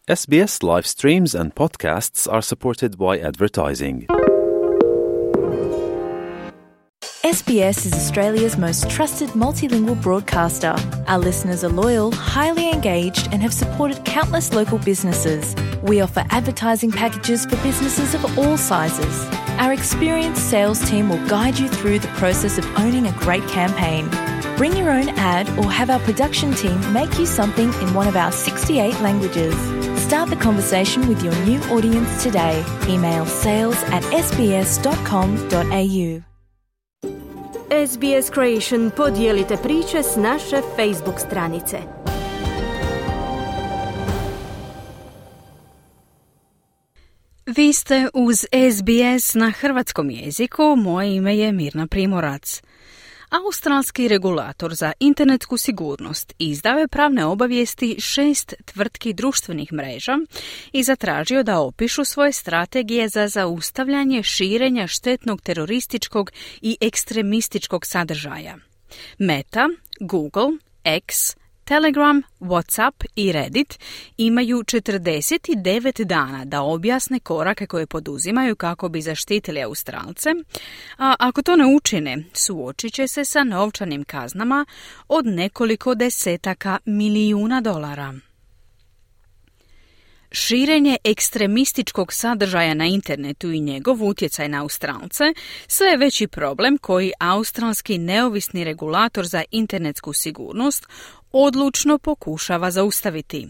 SBS live streams and podcasts are supported by advertising. SBS is Australia's most trusted multilingual broadcaster. Our listeners are loyal, highly engaged, and have supported countless local businesses. We offer advertising packages for businesses of all sizes. Our experienced sales team will guide you through the process of owning a great campaign. Bring your own ad or have our production team make you something in one of our 68 languages. Start the conversation with your new audience today. Email sales@sbs.com.au. SBS Creation podijelite priče s naše Facebook stranice. Vi ste uz SBS na hrvatskom jeziku, moje ime je Mirna Primorac. Australski regulator za internetsku sigurnost izdao je pravne obavijesti 6 tvrtki društvenih mreža i zatražio da opišu svoje strategije za zaustavljanje širenja štetnog terorističkog i ekstremističkog sadržaja. Meta, Google, X, Telegram, WhatsApp i Reddit imaju 49 dana da objasne korake koje poduzimaju kako bi zaštitili Australce, a ako to ne učine, suočit će se sa novčanim kaznama od nekoliko desetaka milijuna dolara. Širenje ekstremističkog sadržaja na internetu i njegov utjecaj na Australce sve je veći problem koji australski neovisni regulator za internetsku sigurnost odlučno pokušava zaustaviti.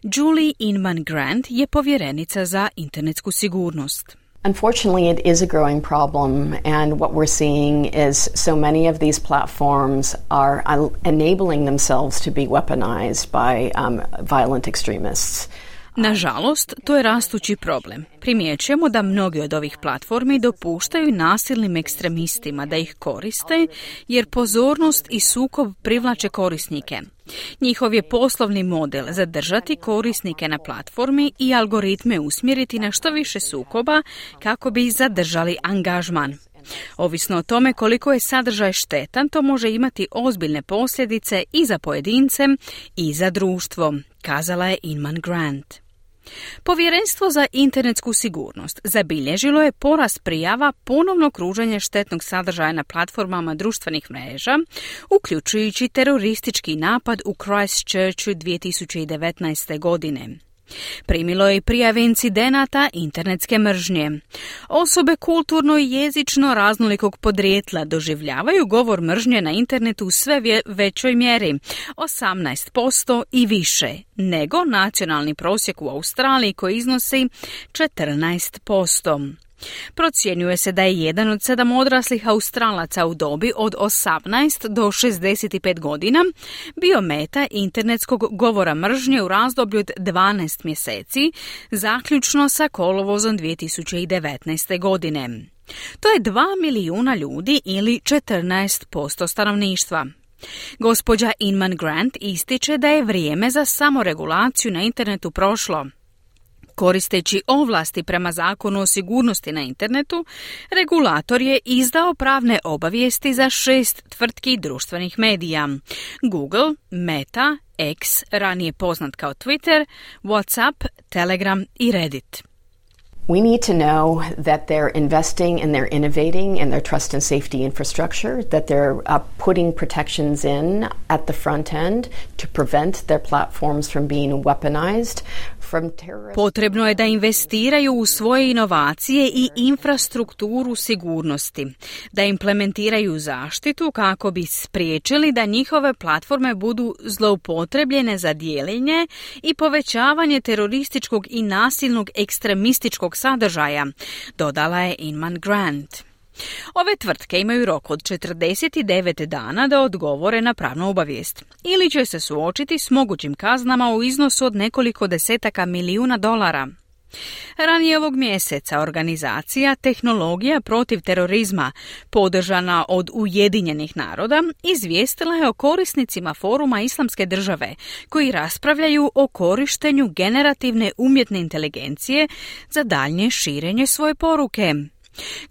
Julie Inman-Grant je povjerenica za internetsku sigurnost. Unfortunately, it is a growing problem, and what we're seeing is so many of these platforms are enabling themselves to be weaponized by violent extremists. Nažalost, to je rastući problem. Primjećujemo da mnogi od ovih platformi dopuštaju nasilnim ekstremistima da ih koriste, jer pozornost i sukob privlače korisnike. Njihov je poslovni model zadržati korisnike na platformi i algoritme usmjeriti na što više sukoba kako bi zadržali angažman. Ovisno o tome koliko je sadržaj štetan, to može imati ozbiljne posljedice i za pojedince i za društvo, kazala je Inman-Grant. Povjerenstvo za internetsku sigurnost zabilježilo je porast prijava ponovnog kruženja štetnog sadržaja na platformama društvenih mreža, uključujući teroristički napad u Christchurchu 2019. godine. Primilo je i prijave incidenata internetske mržnje. Osobe kulturno i jezično raznolikog podrijetla doživljavaju govor mržnje na internetu u sve većoj mjeri, 18% i više, nego nacionalni prosjek u Australiji koji iznosi 14%. Procjenjuje se da je 1 od 7 odraslih Australaca u dobi od 18 do 65 godina bio meta internetskog govora mržnje u razdoblju od 12 mjeseci, zaključno sa kolovozom 2019. godine. To je 2 milijuna ljudi ili 14% stanovništva. Gospođa Inman-Grant ističe da je vrijeme za samoregulaciju na internetu prošlo. Koristeći ovlasti prema zakonu o sigurnosti na internetu, regulator je izdao pravne obavijesti za 6 tvrtki društvenih medija: Google, Meta, X, ranije poznat kao Twitter, WhatsApp, Telegram i Reddit. We need to know that they're investing and they're innovating in their trust and safety infrastructure, that they're putting protections in at the front end to prevent their platforms from being weaponized. Potrebno je da investiraju u svoje inovacije i infrastrukturu sigurnosti, da implementiraju zaštitu kako bi spriječili da njihove platforme budu zloupotrebljene za dijeljenje i povećavanje terorističkog i nasilnog ekstremističkog sadržaja, dodala je Inman-Grant. Ove tvrtke imaju rok od 49 dana da odgovore na pravnu obavijest ili će se suočiti s mogućim kaznama u iznosu od nekoliko desetaka milijuna dolara. Ranije ovog mjeseca organizacija Tehnologija protiv terorizma, podržana od Ujedinjenih naroda, izvijestila je o korisnicima foruma Islamske države koji raspravljaju o korištenju generativne umjetne inteligencije za daljnje širenje svoje poruke.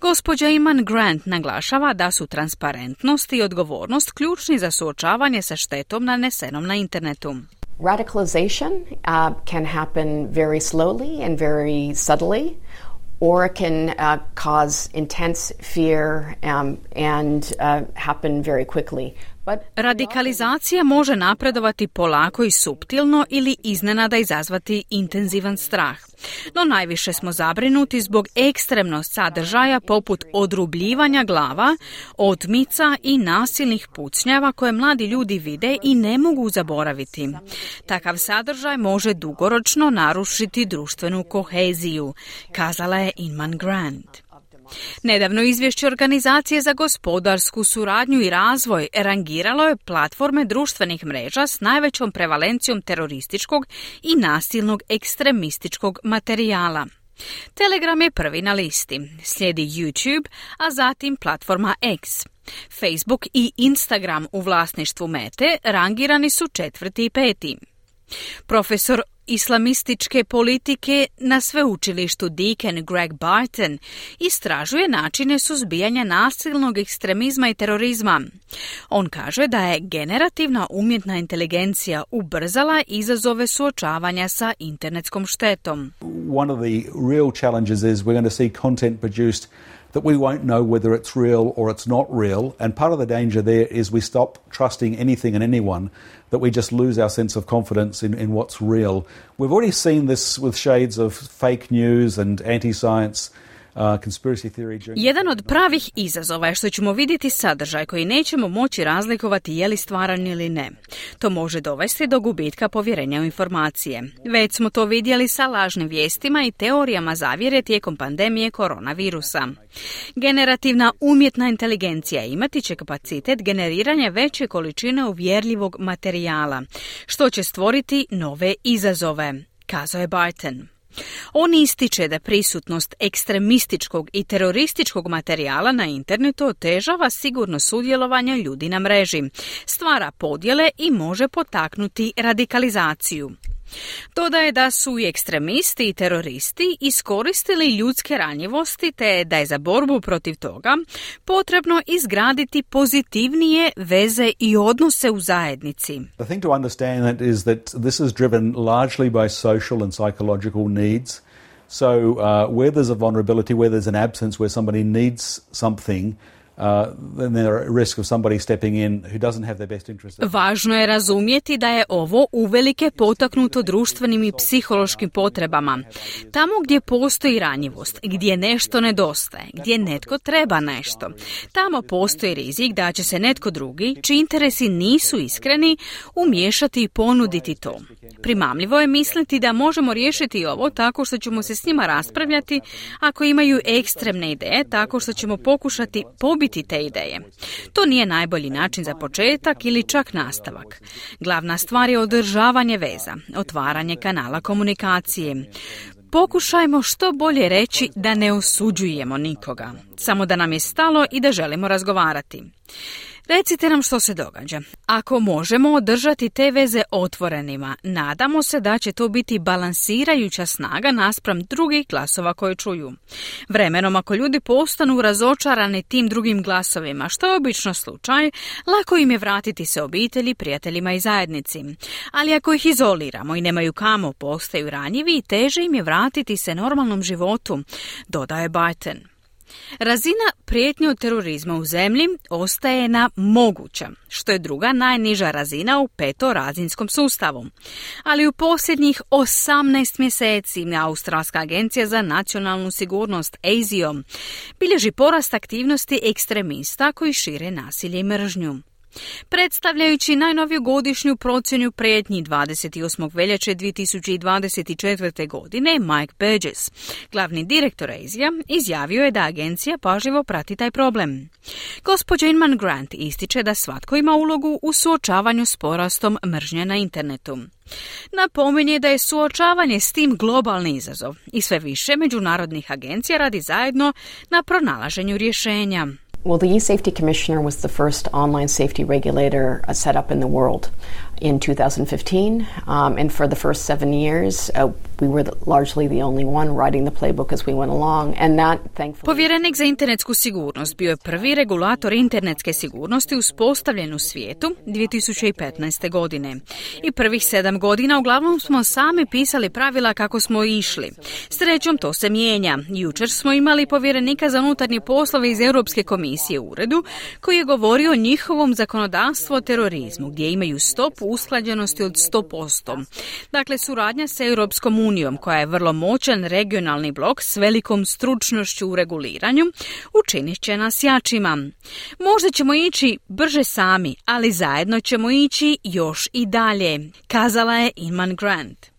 Gospođa Inman-Grant naglašava da su transparentnost i odgovornost ključni za suočavanje sa štetom nanesenom na internetu. Radicalization can happen very slowly and very subtly, or it can cause intense fear and happen very quickly. Radikalizacija može napredovati polako i suptilno ili iznenada izazvati intenzivan strah. No najviše smo zabrinuti zbog ekstremnog sadržaja poput odrubljivanja glava, otmica i nasilnih pucnjava koje mladi ljudi vide i ne mogu zaboraviti. Takav sadržaj može dugoročno narušiti društvenu koheziju, kazala je Inman Grant. Nedavno izvješće Organizacije za gospodarsku suradnju i razvoj rangiralo je platforme društvenih mreža s najvećom prevalencijom terorističkog i nasilnog ekstremističkog materijala. Telegram je prvi na listi, slijedi YouTube, a zatim platforma X. Facebook i Instagram u vlasništvu Mete rangirani su 4. i 5. Profesor islamističke politike na sveučilištu Deakin Greg Barton istražuje načine suzbijanja nasilnog ekstremizma i terorizma. On kaže da je generativna umjetna inteligencija ubrzala izazove suočavanja sa internetskom štetom. One of the real challenges is we're going to see content produced that we won't know whether it's real or it's not real, and part of the danger there is we stop trusting anything and anyone, that we just lose our sense of confidence in what's real. We've already seen this with shades of fake news and anti-science. Jedan od pravih izazova je što ćemo vidjeti sadržaj koji nećemo moći razlikovati je li stvaran ili ne. To može dovesti do gubitka povjerenja u informacije. Već smo to vidjeli sa lažnim vijestima i teorijama zavjere tijekom pandemije koronavirusa. Generativna umjetna inteligencija imati će kapacitet generiranja veće količine uvjerljivog materijala, što će stvoriti nove izazove, kazao je Barton. On ističe da prisutnost ekstremističkog i terorističkog materijala na internetu otežava sigurno sudjelovanje ljudi na mreži, stvara podjele i može potaknuti radikalizaciju. Dodaje da su i ekstremisti i teroristi iskoristili ljudske ranjivosti te da je za borbu protiv toga potrebno izgraditi pozitivnije veze i odnose u zajednici. The thing to understand is that this is driven largely by social and psychological needs. So where there's a vulnerability, where there's an absence, where somebody needs something, then there are risk of somebody stepping in who doesn't have their best interest. Važno je razumjeti da je ovo uvelike potaknuto društvenim i psihološkim potrebama. Tamo gdje postoji ranjivost, gdje nešto nedostaje, gdje netko treba nešto, tamo postoji rizik da će se netko drugi, čiji interesi nisu iskreni, umiješati i ponuditi to. Primamljivo je misliti da možemo riješiti ovo tako što ćemo se s njima raspravljati ako imaju ekstremne ideje, tako što ćemo pokušati pobiti te ideje. To nije najbolji način za početak ili čak nastavak. Glavna stvar je održavanje veza, otvaranje kanala komunikacije. Pokušajmo što bolje reći da ne osuđujemo nikoga, samo da nam je stalo i da želimo razgovarati. Recite nam što se događa. Ako možemo održati te veze otvorenima, nadamo se da će to biti balansirajuća snaga naspram drugih glasova koje čuju. Vremenom, ako ljudi postanu razočarani tim drugim glasovima, što je obično slučaj, lako im je vratiti se obitelji, prijateljima i zajednici. Ali ako ih izoliramo i nemaju kamo, postaju ranjivi i teže im je vratiti se normalnom životu, dodaje Barton. Razina prijetnje od terorizma u zemlji ostaje na moguća, što je druga najniža razina u petorazinskom sustavu. Ali u posljednjih 18 mjeseci Australska agencija za nacionalnu sigurnost ASIO bilježi porast aktivnosti ekstremista koji šire nasilje i mržnju. Predstavljajući najnoviju godišnju procjenu prijetnji 28. veljače 2024. godine, Mike Burgess, glavni direktor ASIA, izjavio je da agencija pažljivo prati taj problem. Gospođa Inman Grant ističe da svatko ima ulogu u suočavanju s porastom mržnje na internetu. Napominje da je suočavanje s tim globalni izazov i sve više međunarodnih agencija radi zajedno na pronalaženju rješenja. Well, the e-Safety Commissioner was the first online safety regulator set up in the world in 2015, and for the first 7 years We were largely the only one writing the playbook as we went along, and that thankfully... Povjerenik za internetsku sigurnost bio je prvi regulator internetske sigurnosti uspostavljen u svijetu 2015. godine. I prvih 7 godina uglavnom smo sami pisali pravila kako smo išli. Srećom to se mijenja. Jučer smo imali povjerenika za unutarnje poslove iz Europske komisije u uredu koji je govorio o njihovom zakonodavstvu o terorizmu gdje imaju stopu usklađenosti od 100%. Dakle, suradnja sa Europskom unijom koja je vrlo moćan regionalni blok s velikom stručnošću u reguliranju učinit će nas jačima. Možda ćemo ići brže sami, ali zajedno ćemo ići još i dalje, kazala je Iman Grant.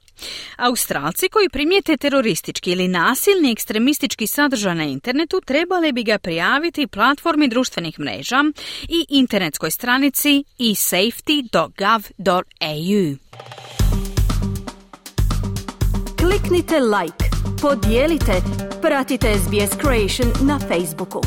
Australci koji primijete teroristički ili nasilni ekstremistički sadržaj na internetu trebali bi ga prijaviti platformi društvenih mreža i internetskoj stranici esafety.gov.au. Kliknite like, podijelite, pratite SBS Creation na Facebooku.